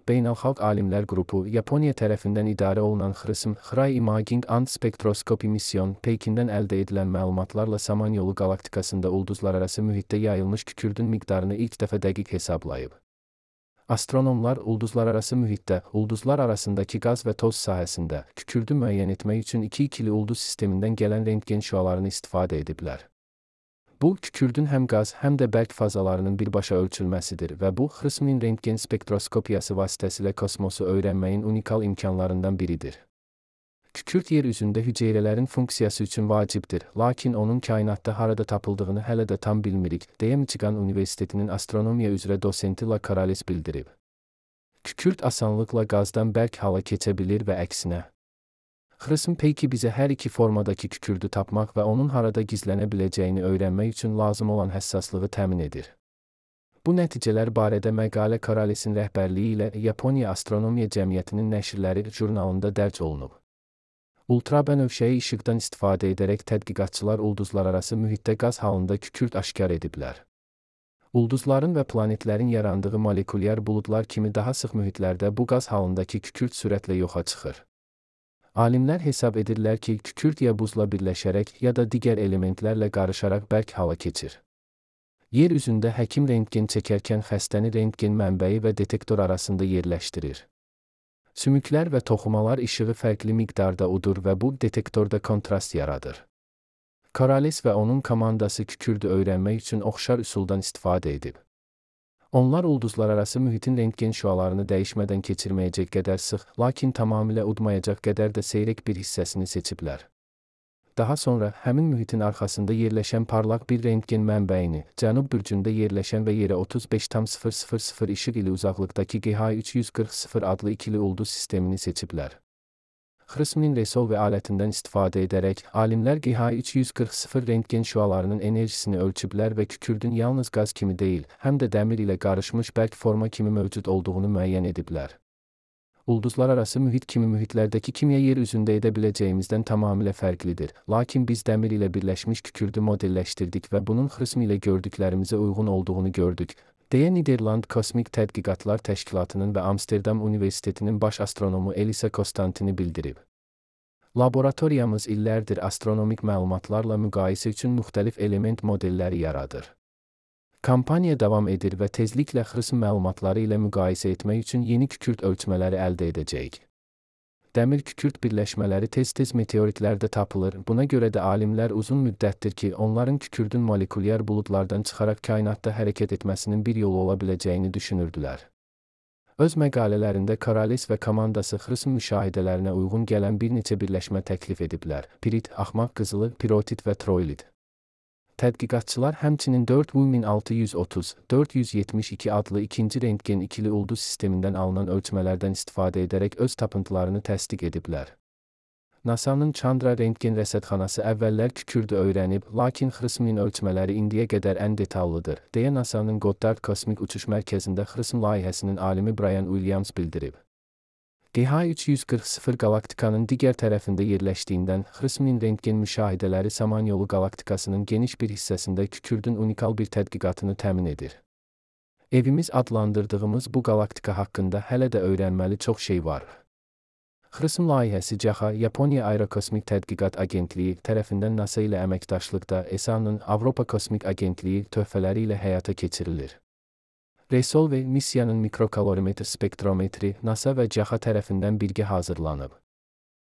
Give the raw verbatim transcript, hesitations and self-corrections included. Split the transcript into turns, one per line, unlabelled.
Beynəlxalq Alimlər Qrupu, Yaponiya tərəfindən idarə olunan XRISM, Xray Imaging and Spectroscopy Mission, Pekindən əldə edilən məlumatlarla Samanyolu qalaktikasında ulduzlararası mühitdə yayılmış kükürdün miqdarını ilk dəfə dəqiq hesablayıb. Astronomlar ulduzlararası mühitdə, ulduzlar arasındakı qaz və toz sahəsində kükürdü müəyyən etmək üçün iki ikili ulduz sistemindən gələn rentgen şüalarını istifadə ediblər. Bu, kükürdün həm qaz, həm də bərk fazalarının birbaşa ölçülməsidir və bu, XRISM-in rentgen spektroskopiyası vasitəsilə kosmosu öyrənməyin unikal imkanlarından biridir. Kükürd yer üzündə hüceyrələrin funksiyası üçün vacibdir, lakin onun kainatda harada tapıldığını hələ də tam bilmirik, deyə Michigan Universitetinin astronomiya üzrə dosenti La Corrales bildirib. Kükürd asanlıqla qazdan bərk hala keçə bilir və əksinə. XRISM peyki bizə hər iki formadakı kükürdü tapmaq və onun harada gizlənə biləcəyini öyrənmək üçün lazım olan həssaslığı təmin edir. Bu nəticələr barədə məqalə Corralesin rəhbərliyi ilə Yaponiya Astronomiya Cəmiyyətinin nəşrləri jurnalında dərc olunub. Ultrabənövşəyi işıqdan istifadə edərək tədqiqatçılar ulduzlararası mühitdə qaz halında kükürd aşkar ediblər. Ulduzların və planetlərin yarandığı molekulyar buludlar kimi daha sıx mühitlərdə bu qaz halındakı kükürd sürətlə yoxa çıxır. Alimlər hesab edirlər ki, kükürd ya buzla birləşərək, ya da digər elementlərlə qarışaraq bərk hala keçir. Yer üzündə həkim rentgen çəkərkən xəstəni rentgen mənbəyi və detektor arasında yerləşdirir. Sümüklər və toxumalar işığı fərqli miqdarda udur və bu, detektorda kontrast yaradır. Corrales və onun komandası kükürdü öyrənmək üçün oxşar üsuldan istifadə edib. Onlar ulduzlararası mühitin rentgen şüalarını dəyişmədən keçirməyəcək qədər sıx, lakin tamamilə udmayacaq qədər də seyrək bir hissəsini seçiblər. Daha sonra, həmin mühitin arxasında yerləşən parlaq bir rentgen mənbəyini, cənub bürcündə yerləşən və yerə otuz beş tam sıfır sıfır sıfır işıq ili uzaqlıqdakı G H üç yüz qırx sıfır adlı ikili ulduz sistemini seçiblər. XRISM-in Resolve alətindən istifadə edərək, alimlər G H üç yüz qırx sıfır rentgen şüalarının enerjisini ölçüblər və kükürdün yalnız qaz kimi deyil, həm də dəmir ilə qarışmış bərk forma kimi mövcud olduğunu müəyyən ediblər. Ulduzlararası mühit kimi mühitlərdəki kimya yer üzündə edə biləcəyimizdən tamamilə fərqlidir, lakin biz dəmir ilə birləşmiş kükürdü modelləşdirdik və bunun XRISM ilə gördüklərimizə uyğun olduğunu gördük, deyə Niderland Kosmik Tədqiqatlar Təşkilatının və Amsterdam Universitetinin baş astronomu Elisa Konstantini bildirib. Laboratoriyamız illərdir astronomik məlumatlarla müqayisə üçün müxtəlif element modelləri yaradır. Kampaniya davam edir və tezliklə XRISM məlumatları ilə müqayisə etmək üçün yeni kükürd ölçmələri əldə edəcəyik. Dəmir-kükürd birləşmələri tez-tez meteoritlərdə tapılır, buna görə də alimlər uzun müddətdir ki, onların kükürdün molekulyar buludlardan çıxaraq kainatda hərəkət etməsinin bir yolu ola biləcəyini düşünürdülər. Öz məqalələrində Corrales və komandası XRISM müşahidələrinə uyğun gələn bir neçə birləşmə təklif ediblər: pirit, axmaq qızılı, pirotit və troilit. Tədqiqatçılar həmçinin dörd min altı yüz otuz dörd yüz yetmiş iki adlı ikinci rentgen ikili ulduz sistemindən alınan ölçmələrdən istifadə edərək öz tapıntılarını təsdiq ediblər. NASA'nın Chandra rentgen rəsədxanası əvvəllər kükürdü öyrənib, lakin XRISM-in ölçmələri indiyə qədər ən detallıdır, deyə NASA'nın Goddard Kosmik Uçuş Mərkəzində XRISM layihəsinin alimi Brian Williams bildirib. G H üç yüz qırx sıfır qalaktikanın digər tərəfində yerləşdiyindən, XRISM-in rentgen müşahidələri Samanyolu qalaktikasının geniş bir hissəsində kükürdün unikal bir tədqiqatını təmin edir. Evimiz adlandırdığımız bu qalaktika haqqında hələ də öyrənməli çox şey var. XRISM layihəsi C A H A, Yaponiya Aerokosmik Tədqiqat Agentliyi tərəfindən NASA ilə əməkdaşlıqda E S A-nın Avropa Kosmik Agentliyi töhfələri ilə həyata keçirilir. Resolve missiyanın mikrokalorimetr spektrometri NASA və C A H A tərəfindən birgə hazırlanıb.